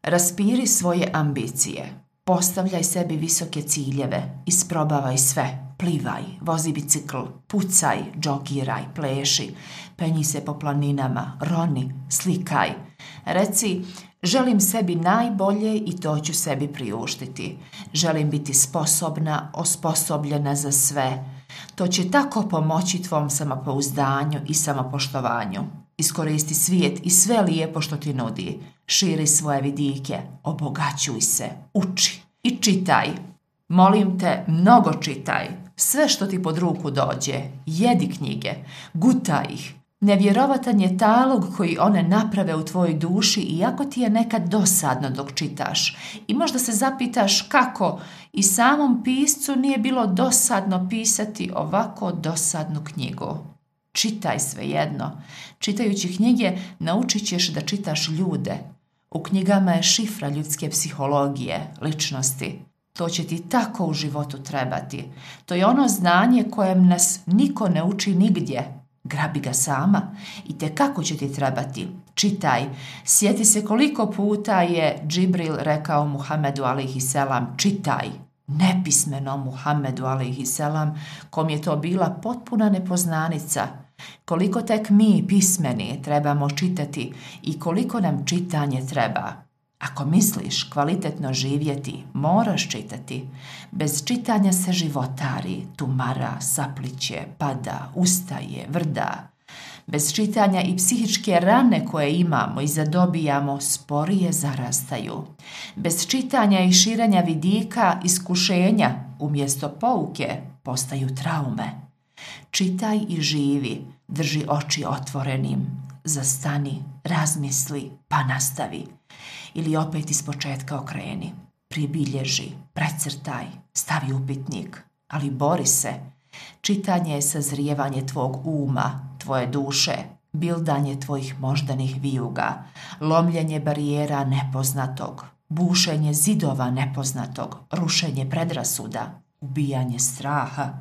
Raspiri svoje ambicije. Postavljaj sebi visoke ciljeve. Isprobavaj sve. Plivaj, vozi bicikl, pucaj, džogiraj, pleši, penji se po planinama, roni, slikaj. Reci, želim sebi najbolje i to ću sebi priuštiti. Želim biti sposobna, osposobljena za sve. To će tako pomoći tvom samopouzdanju i samopoštovanju. Iskoristi svijet i sve lijepo što ti nudi. Širi svoje vidike, obogaćuj se, uči i čitaj. Molim te, mnogo čitaj. Sve što ti pod ruku dođe, jedi knjige, gutaj ih. Nevjerovatan je talog koji one naprave u tvojoj duši, iako ti je nekad dosadno dok čitaš. I možda se zapitaš kako i samom piscu nije bilo dosadno pisati ovako dosadnu knjigu. Čitaj svejedno. Čitajući knjige naučit ćeš da čitaš ljude. U knjigama je šifra ljudske psihologije, ličnosti. To će ti tako u životu trebati. To je ono znanje kojem nas niko ne uči nigdje. Grabi ga sama i te kako će ti trebati. Čitaj. Sjeti se koliko puta je Džibril rekao Muhammedu alejhiselam čitaj. Nepismenom Muhammedu alejhiselam, kom je to bila potpuna nepoznanica. Koliko tek mi pismeni trebamo čitati i koliko nam čitanje treba. Ako misliš kvalitetno živjeti, moraš čitati. Bez čitanja se životari, tumara, sapliće, pada, ustaje, vrda. Bez čitanja i psihičke rane koje imamo i zadobijamo sporije zarastaju. Bez čitanja i širenja vidika, iskušenja, umjesto pouke, postaju traume. Čitaj i živi, drži oči otvorenim, zastani, razmisli, pa nastavi. Ili opet ispočetka okreni. Pribilježi, precrtaj, stavi upitnik, ali bori se. Čitanje je sazrijevanje tvog uma, tvoje duše, bildanje tvojih moždanih vijuga, lomljenje barijera nepoznatog, bušenje zidova nepoznatog, rušenje predrasuda, ubijanje straha.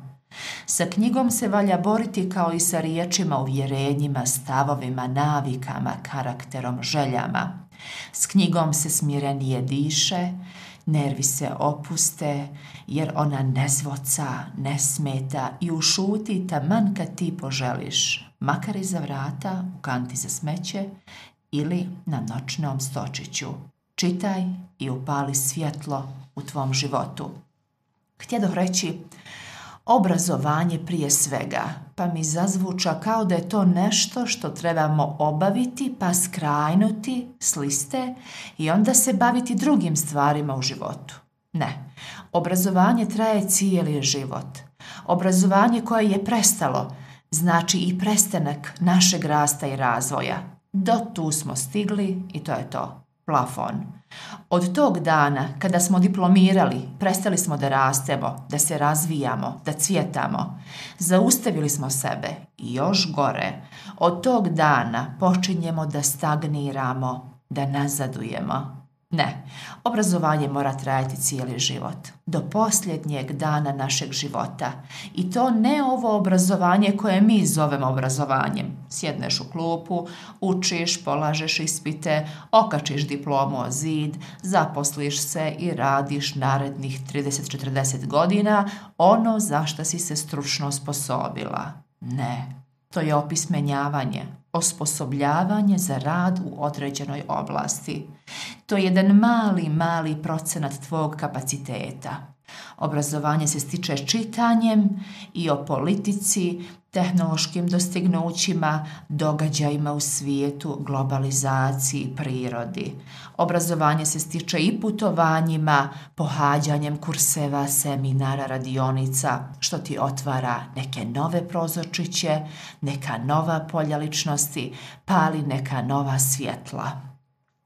Sa knjigom se valja boriti kao i sa riječima, uvjerenjima, stavovima, navikama, karakterom, željama. S knjigom se smirenije diše, nervi se opuste, jer ona ne zvoca, ne smeta i ušuti taman kad ti poželiš, makar iza vrata, u kanti za smeće ili na noćnom stočiću. Čitaj i upali svjetlo u tvom životu. Htjedoh reći obrazovanje prije svega, pa mi zazvuča kao da je to nešto što trebamo obaviti pa skrajnuti s liste i onda se baviti drugim stvarima u životu. Ne, obrazovanje traje cijeli život. Obrazovanje koje je prestalo znači i prestanak našeg rasta i razvoja. Do tu smo stigli i to je to. Plafon. Od tog dana kada smo diplomirali, prestali smo da rastemo, da se razvijamo, da cvjetamo. Zaustavili smo sebe i još gore. Od tog dana počinjemo da stagniramo, da nazadujemo. Ne, obrazovanje mora trajati cijeli život, do posljednjeg dana našeg života. I to ne ovo obrazovanje koje mi zovemo obrazovanjem. Sjedneš u klupu, učiš, polažeš ispite, okačiš diplomu o zid, zaposliš se i radiš narednih 30-40 godina ono za što si se stručno osposobila. Ne, to je opismenjavanje, osposobljavanje za rad u određenoj oblasti. To je jedan mali procenat tvog kapaciteta. Obrazovanje se stiče čitanjem i o politici, tehnološkim dostignućima, događajima u svijetu, globalizaciji, prirodi. Obrazovanje se stiče i putovanjima, pohađanjem kurseva, seminara, radionica, što ti otvara neke nove prozorčiće, neka nova polja ličnosti, pali neka nova svjetla.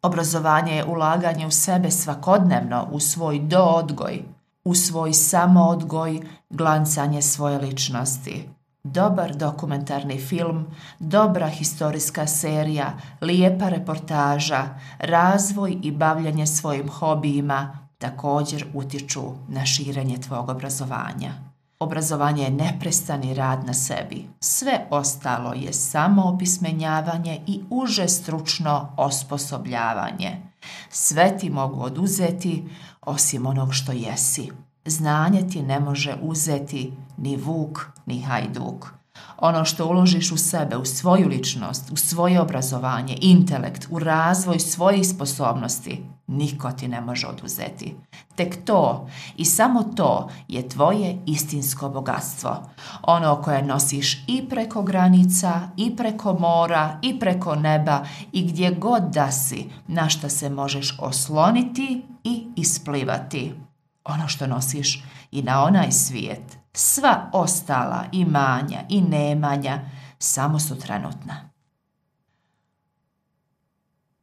Obrazovanje je ulaganje u sebe svakodnevno, u svoj doodgoj, u svoj samoodgoj, glancanje svoje ličnosti. Dobar dokumentarni film, dobra historijska serija, lijepa reportaža, razvoj i bavljanje svojim hobijima također utječu na širenje tvog obrazovanja. Obrazovanje je neprestani rad na sebi. Sve ostalo je samo opismenjavanje i uže stručno osposobljavanje. Sve ti mogu oduzeti osim onog što jesi. Znanje ti ne može uzeti ni vuk ni hajduk. Ono što uložiš u sebe, u svoju ličnost, u svoje obrazovanje, intelekt, u razvoj svojih sposobnosti, niko ti ne može oduzeti. Tek to i samo to je tvoje istinsko bogatstvo. Ono koje nosiš i preko granica, i preko mora, i preko neba, i gdje god da si, na šta se možeš osloniti i isplivati. Ono što nosiš i na onaj svijet. Sva ostala imanja i nemanja samo su trenutna.